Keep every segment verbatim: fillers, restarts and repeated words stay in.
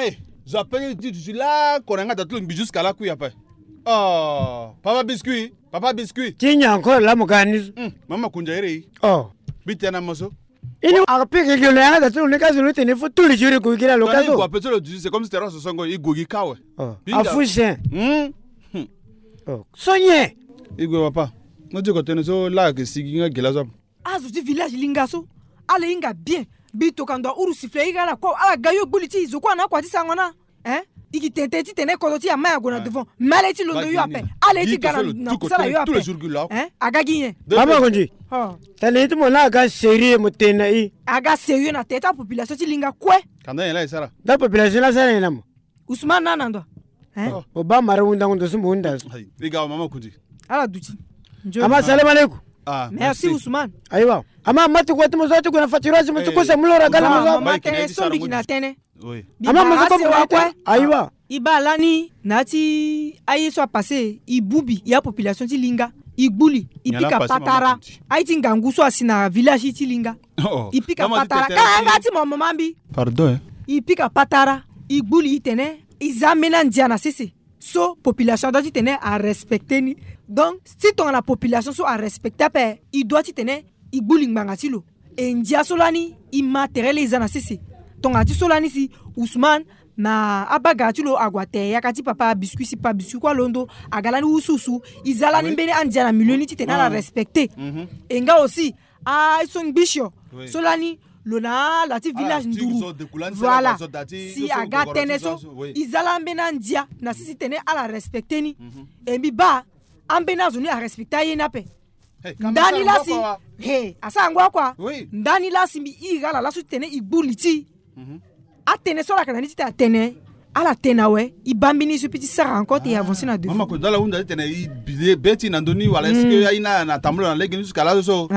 Eh, zo ape ti duti la, kona nga da ti lo mbi jusqu'à la kui ape. Oh, papa biscuit, papa biscuit. Ti nyen encore la mo ga ni? Hmm, mama kunja ere. Oh. Bi tena mo so. Ini a pike gi lo yanga da ti lo ni ka zo lo tene fo tous les jours i gue gi la lo ka zo. Ape ti lo duti, c'est comme si terrasse songo i gue gi ka we. Oh. Afu chien. Hmm. Oh. So nyen? I gue papa. Mo ti ko tene so la ke sigi nga gi la so. Azo ti village linga so, ala hinga bien. Mbi tokua ndo ahuru sifflet airi ala kue, ala ga yo gbu li ti zo kue ana akua ti sango na. Hein? I gi tene ti tene kodro ti ama ya gue na devant. Mais ala ye ti londo yo ape. Ala ye ti ga na kusala yo ape. Hein? Aga gi nyen? Mama Konzi. Tene ye ti mo na aga sérieux mo tene na i. Aga sérieux na tene ti apopulation ti linga kue. Kanda nyen la e sara? Nda population la sara nyen na mo? Ousmane na na ndo. Hein? Oh. Mo baa mara hundango ndo so mo hunda so. Ayi, e ga wa mama Konzi. Ala duti. Ama salam alaikum. Ah, merci Ousmane. Ayiwa. Ama ma ti kua ti mo so ti gue na faturage mo ti kosa mu lora gala mo so. Mama tene so mbi gi na tene. Oui. Ama mo so ko mo na tene. Ayiwa. I baa lani na ya ti aye so apassé, i bubi ya population ti linga, i gbu li, i pika patara. Aye ti ngangu so asi na village ti linga. Oh, i pika patara. Kanga ti mo mama mbi. Pardon, hein. I pika patara, i gbu li, i tene i za ambeni andia na sese. So population adoit ti tene arespecté ni. Donc si tongana population so arespecté ape, i doit ti tene i gbu li ngbanga ti lo. E ndia so lani i ma tere laa i za na sese. Tongana ti so lani si Ousmane na abagara ti lo ague ate yaka ti papa biscuit si papa biscuit kue alondo aga lani wusuwusu. I za lani mbeni andia na milieu ni ti tene ala respecté. E nga aussi aye so ngbisio so lani lo na ala ti village nduru. Voilà. Si aga tënë so, i za lani mbeni andia na sisi tene ala respecté ni. E mbi baa ambeni azo ni arespecté aye ni ape. Ndani laa si, he, asara ngu akua. Ndani laa si mbi iri ala laso ti tene i gbu li ti. Atënë so ala yeke na ni ti tene atene ala tene awe. I baa mbeni so i peut ti sara encore te i avancer na devant. Mama Konzi, ala hunda ti tene i bi be ti na ndö ni wala est-ce que aye ni na tambula na lege ni jusqu'à laso so?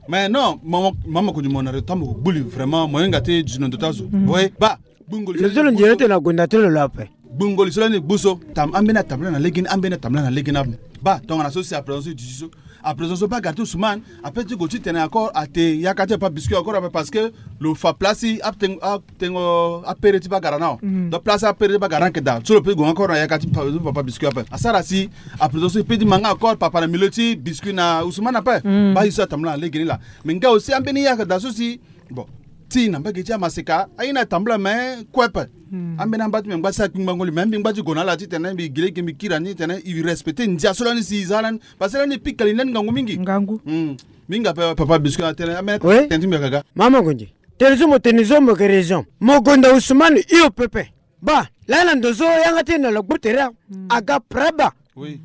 Mais non, mama Konzi, mo na retombe ko gbu li vraiment, mo hinga ti duti na ndo ti azo. Oui, baa. Lo so lo nzere tene agonda ti lo lo ape. Gbungo li so lani gbu so. Tam ambeni atambula na lege ni, ambeni atambula na lege ni ape. Baa tongana so si à présent so i duti so. À présent so bagara ti Ousmane apeut ti gue ti tene encore ate yaka ti papa biscuit encore ape parce que lo fa place ti atengo, atengo apere ti bagara ni awe. Donc place apere ti bagara ni ayeke daa so lo peut ti gue encore na yaka ti papa biscuit ape. Asara si à présent so i peut ti ma nga encore papa na milieu ti biscuit na Ousmane ape. Baa ye so atambula na lege ni laa. Mais nga aussi ambeni ye ayeke daa so si Bon, ti na mbage ti amaseka aye ni atambula me kue ape. Ambeni amba ti me ngba ti sara kpingbango li me mbi ngba ti gue na ala ti tene mbi gi lege mbi kiri ani ti tene i respecté ndia so lani si i za lani. Parce que lani e pika li ndani ngangu mingi. Ngangu. Mbi hinga ape papa biscuit atene ambeni tene ti mbi yaka ga. Mama Konzi, tene so mo tene so mo yeke raison. Mo gonda Ousmane hio pepe. Baa lani na ndo so yanga ti e na lo gbu tere aga praba. Oui.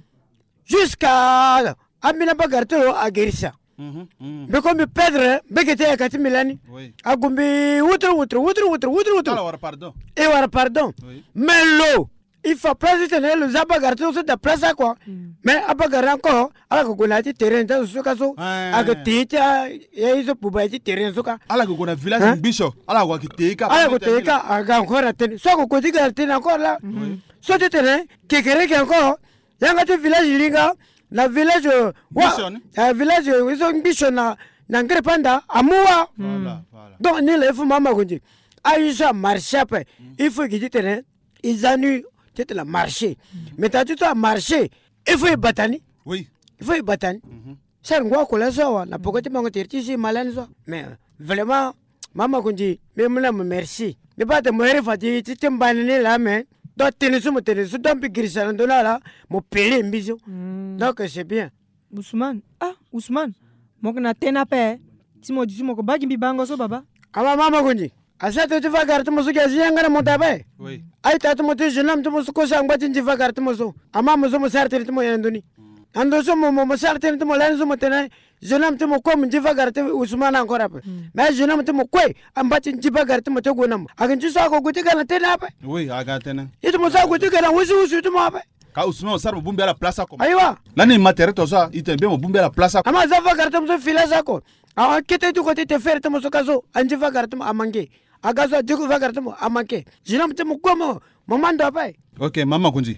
Jusqu'à ambeni abagara ti lo agerisa. Mbi ko mbi perdre mbege ti ayaka ti mbi lani. Ague mbi wutru wutru wutru wutru wutru wutru. E wara pardon. Mais lo i fa place ti tene lo za abagara ti lo so da place akua. Mais abagara ni encore ala yeke gue na ya ti terrain ti azo so ka so. Ayeke te ye ti aye so buba ye ti terrain so ka. Ala yeke gue na village ngbisio ala yeke te ye ka. Ala yeke te ye ka aga encore na tënë so ayeke gue ti ga na tënë encore la. So ti tene kekereke encore. Yanga ti village linga na village wa village so ngbisio na na ngere panda amu wa. Donc ni la il faut mama Konzi aye so amarché ape. Il faut e gi ti tene e za ni ti tene amarché. Mais tena ti so amarché il faut e bata ni. Oui, il faut e bata ni. Sara ngu akua laso awa na poko ti mango tere ti so e ma lani so. Mais vraiment Mama Konzi mbi mu na mo merci. Mbi baa ate mo here fa ti ti mbani ni laa me. Donc tënë so mo tene so donc mbi girisa na ndö ni ala mo pele mbi so. Donc c'est bien. Ousmane, ah Ousmane, mo yeke na tënë ape ti mo di ti mo yeke baa gi mbi bango so baba. Ama mama Konzi asara tënë ti va gara ti mo so gi azi yanga na mo daa be. Aita ti mo ti jeune homme ti mo so kosa angba ti nzi va gara ti mo so. Ama mo so mo sara tënë ti mo nyen na ndö ni? Na ndo so mo mo sara tënë ti mo lani so mo tene jeune homme ti mo kue mo nzi va gara ti Ousmane encore ape. Mais jeune homme ti mo kue amba ti nzi va gara ti mo ti gue na mo ayeke nzi so ako gue ti ga na tënë ape. Oui aga tënë. Ye ti mo so ague ti ga na wusuwusu ti mo ape. Ka Ousmane mo sara mo bongbi ala place ako. Ayiwa. Lani ma tere to so a i tene bien mo bongbi ala place ako. Ama aza va gara ti mo so fila so ako. Awa kete ti ko ti te fere ti mo so ka so anzi va gara ti mo amanke. Aga so adi ku va gara ti mo amanke. Jeune homme ti mo kue mo mo ma ndo ape. Ok mama Konzi.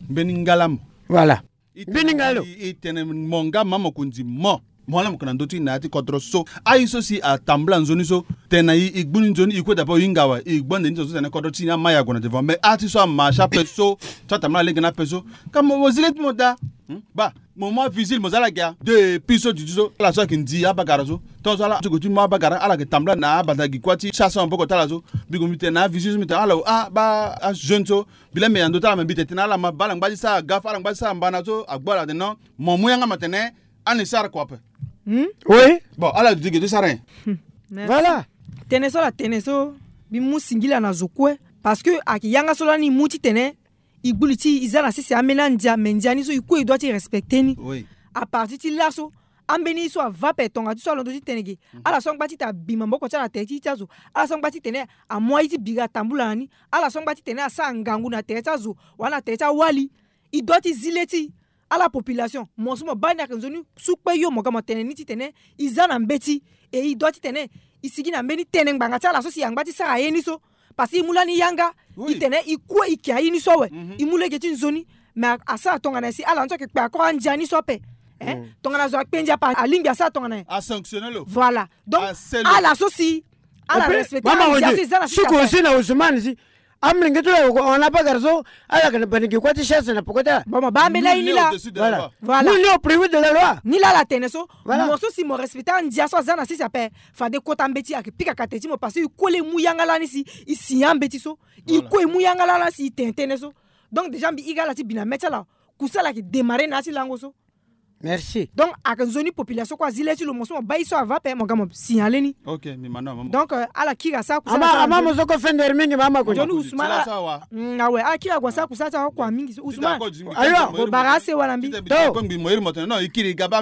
Mbeni ngala mo. Voilà. Mbeni nga lo. I tene mo nga mama Konzi mo. Mo ala mo yeke na ndö ti na ya ti kodro so. Aye so si atambula nzoni so, tene na e, e gbu ni nzoni, e kue daa ape, e hinga awe, e gbu ande ni so so tene kodro ti ni ama e ague na devant. Mais a ti so ama si ape so, so atambula lege ni ape so. Ka mo, mo zi le ti mo daa. Hmm? Baa, mo mu avigile mo za ala ge a. Depuis so duti so, ala so ayeke ndi abagara so. Tongaso ala ti gue ti mu abagara, ala yeke tambula na abanda gi kuâ ti chasse maboko ti ala so. Mbi gue mbi tene na avigile so, mbi tene ala, ah, baa ajeune so. Mbi laa mbi yeke na ndö ti ala, me mbi tene tene ala ma baa ala ngba ti sara gafa, ala ngba ti sara mbana so, agbu ala atene non. Mo mu yanga mo tene, ani sara kua ape. Hmm? Oui. Bon, ala duti ge ti sara nyen? Hmm. Merci. Voilà. Tënë so ala tene so, mbi mu singila na zo kue. Parce que ayeke yanga so lani e mu titene e gbu li ti e, e za na sese ambeni andia, me ndia ni so e kue e doit ti respecter ni. Oui. À partir ti laso, ambeni ye so ava ape, tonga ti so alondo ti tene ge. Mhm. Ala so angba ti tene abi maboko ti ala na tere ti ye ti azo. Ala so angba ti tene amu aye ti biri atambula na ni. Ala so angba ti tene asara ngangu na tere ti azo wala na tere ti awali. E doit ti zi le ti e. Ala population, mo so mo baa ni ayeke nzoni sukpe yo, mo ga mo tene ni titene e za na mbeti. E e doit titene e sigi na mbeni tënë ngbanga ti ala so si e angba ti sara ye ni so. Parce que e mu lani yanga. Oui. E tene e kue e yeke aye ni so awe. Mhm. E mu lege ti nzoni. Mais a, asara tongana nyen si ala ni so ayeke kpe encore andia ni so ape? Hein? Mm. Tongana zo akpe ndia ape, alingbi asara tongana nyen? Asanctionner lo. Voilà. Donc, aselo. Ala so si ala respecter andia so e za na sisi ape. Suku aussi na Ousmane si amolenge ti lo ayeke hon na abagara so, ala yeke na bani gi kuâ ti chasse na peko ti ala. Bon, mo baa mbeni aye ni laa. Voilà. Voilà. Nul n'est au plus haut de la loi. Ni laa ala tene so. Voilà. Mo so si mo respecter andia so aza na sese ape, fade kota mbeti ayeke pika kate ti mo, parce que e kue laa e mu yanga lani si e signer ambeti so. E kue e mu yanga lani si e tene tënë so. Donc déjà mbi iri ala ti bi na mê ti ala. Kusala ayeke démarrer na ya ti lango so. Merci. Donc ayeke nzoni population kue azi le ti lo, mo so mo baa ye so ava ape, mo ga mo signaler ni. Ok, mbi ma na mama. Donc, euh, ala kiri asara kusala ti ala. Ama mo so kue fender mingi mama ko. Nzoni Ousmane. Mm, awe, ala kiri ague asara kusala ti ala kue mingi so. Ousmane. Ayo. Mo bara ase wala mbi. To.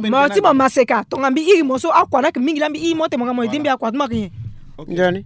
Mo ti mo maseka, tonga mbi iri mo so akua ni ayeke mingi laa mbi iri mo te, mo ga mo aidé mbi akua ti mo ayeke nyen? Ok. Nzoni.